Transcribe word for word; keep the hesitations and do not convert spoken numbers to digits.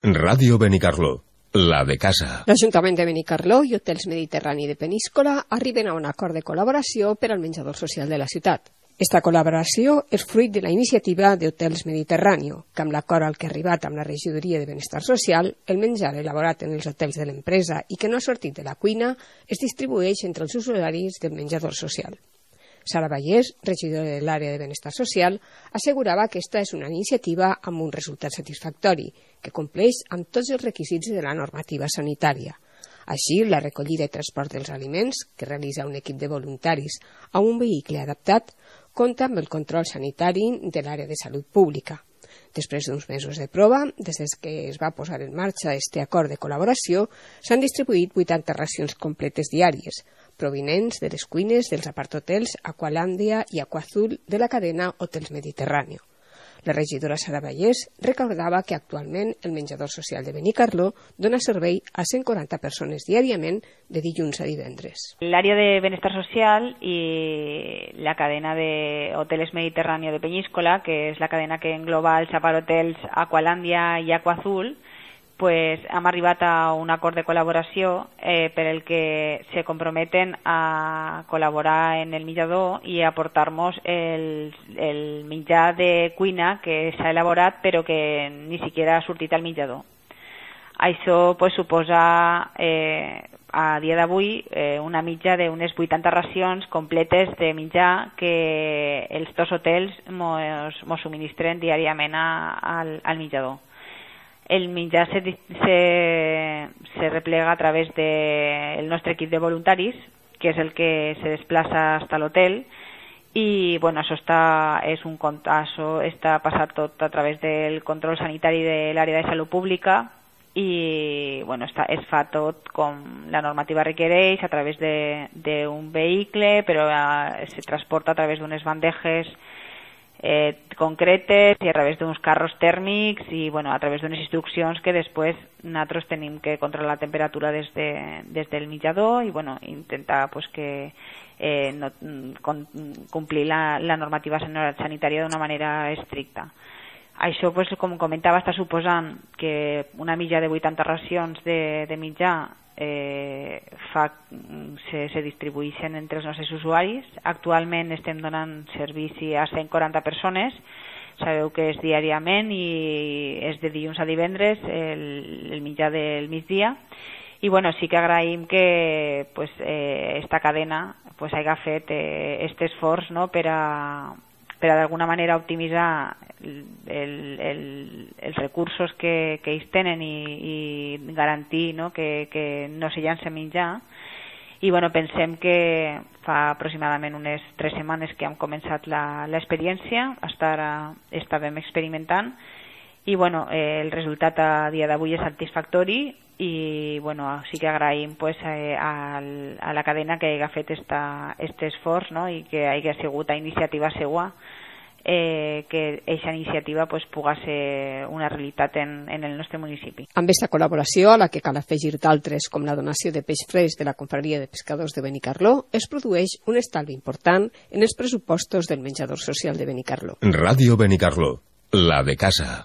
Ràdio Benicarló, la de casa. L'Ajuntament de Benicarló i Hotels Mediterrani de Peníscola arriben a un acord de col·laboració per al menjador social de la ciutat. Esta col·laboració és fruit de la iniciativa d'Hotels Mediterrani, que amb l'acord al que ha arribat amb la Regidoria de Benestar Social, el menjar elaborat en els hotels de l'empresa i que no ha sortit de la cuina es distribueix entre els usuaris del menjador social. Sara Vallès, regidora de l'àrea de Benestar Social, assegurava que aquesta és una iniciativa amb un resultat satisfactori, que compleix amb tots els requisits de la normativa sanitària. Així, la recollida i transport dels aliments, que realitza un equip de voluntaris a un vehicle adaptat, compta amb el control sanitari de l'àrea de salut pública. Després d'uns mesos de prova, des que es va posar en marxa aquest acord de col·laboració, s'han distribuït vuitanta racions completes diàries, provinents de les cuines dels aparthotels Aqualàndia i Aquazul de la cadena Hotels Mediterrani. La regidora Sara Vallès recordava que actualment el menjador social de Benicarló dona servei a cent quaranta persones diàriament de dilluns a divendres. L'àrea de Benestar Social i la cadena de Hoteles Mediterrani de Peníscola, que és la cadena que engloba els aparthotels Aqualàndia i Aquazul, pues hem arribat a un acord de col·laboració eh, per el que se comprometen a col·laborar en el menjador i a aportar-nos el, el menjar de cuina que s'ha elaborat però que ni siquiera ha sortit al menjador. Això pues, suposa eh, a dia d'avui eh, una mitja d'unes vuitanta racions completes de menjar que els dos hotels mos, mos subministren diàriament a, al, al menjador. El menjar se, se, se replega a través del nostre equip de voluntaris, que és el que se desplaça fins a l'hotel, i bueno, això està, és un, això està passat tot a través del control sanitari de l'àrea de salut pública i bueno, està, es fa tot com la normativa requereix, a través d'un vehicle, però eh, se transporta a través d'unes bandejes Eh, concretes i a través d'uns carros tèrmics i bueno, a través d'unes instruccions que després nosaltres tenim que controlar la temperatura des, de, des del menjador i bueno, intentar pues, que eh, no, con, complir la, la normativa sanitària d'una manera estricta. Això, pues, com comentava, està suposant que una mitja de vuitanta racions de, de menjar Eh, fa, se, se distribueixen entre els nostres usuaris. Actualment estem donant servici a cent quaranta persones, sabeu que és diàriament i és de dilluns a divendres el, el menjar del migdia i bueno, sí que agraïm que pues, eh, esta cadena pues, hagi fet eh, este esforç no, per a per a d'alguna manera optimitzar el, el, els recursos que, que ells tenen i, i garantir no, que, que no se llança menjar. I bueno, pensem que fa aproximadament unes tres setmanes que hem començat l'experiència, hasta ara estàvem experimentant i bueno, eh, el resultat a dia d'avui és satisfactori i bueno, sí que agraïm pues, eh, a, a la cadena que hagi fet aquest esforç no? I que hagi sigut a iniciativa seua eh, que aquesta iniciativa pues, pugui ser una realitat en, en el nostre municipi. Amb aquesta col·laboració, a la que cal afegir d'altres com la donació de peix fresc de la Confraria de Pescadors de Benicarló, es produeix un estalvi important en els pressupostos del menjador social de Benicarló. Ràdio Benicarló, la de casa.